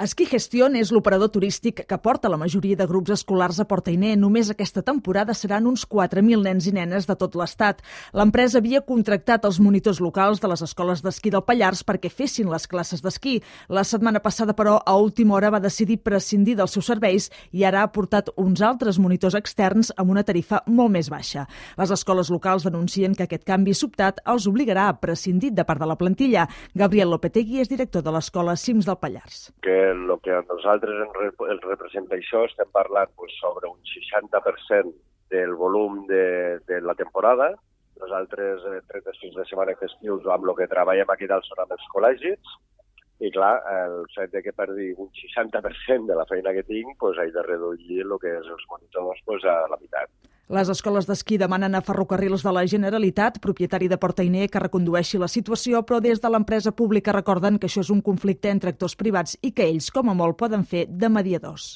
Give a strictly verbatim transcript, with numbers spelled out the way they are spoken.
Ski Gestion és l'operador turístic que porta la majoria de grups escolars a Port-Ainé. Només aquesta temporada seran uns quatre mil nens i nenes de tot l'estat. L'empresa havia contractat els monitors locals de les escoles d'esquí del Pallars perquè fessin les classes d'esquí. La setmana passada, però, a última hora va decidir prescindir dels seus serveis i ara ha portat uns altres monitors externs amb una tarifa molt més baixa. Les escoles locals denuncien que aquest canvi sobtat els obligarà a prescindir de part de la plantilla. Gabriel Lopetegui és director de l'escola Cims del Pallars. Que el que a nosaltres ens representa això, estem parlant pues, sobre un seixanta per cent del volum de, de la temporada. Nosaltres, eh, trenta-sis de setmana festius, amb el que treballem aquí dalt són amb els col·legis, i clar, el fet de que perdi un seixanta per cent de la feina que tinc, pues, he de reduir el que és els monitors pues, a la meitat. Les escoles d'esquí demanen a Ferrocarrils de la Generalitat, propietari de Port-Ainé, que recondueixi la situació, però des de l'empresa pública recorden que això és un conflicte entre actors privats i que ells, com a molt, poden fer de mediadors.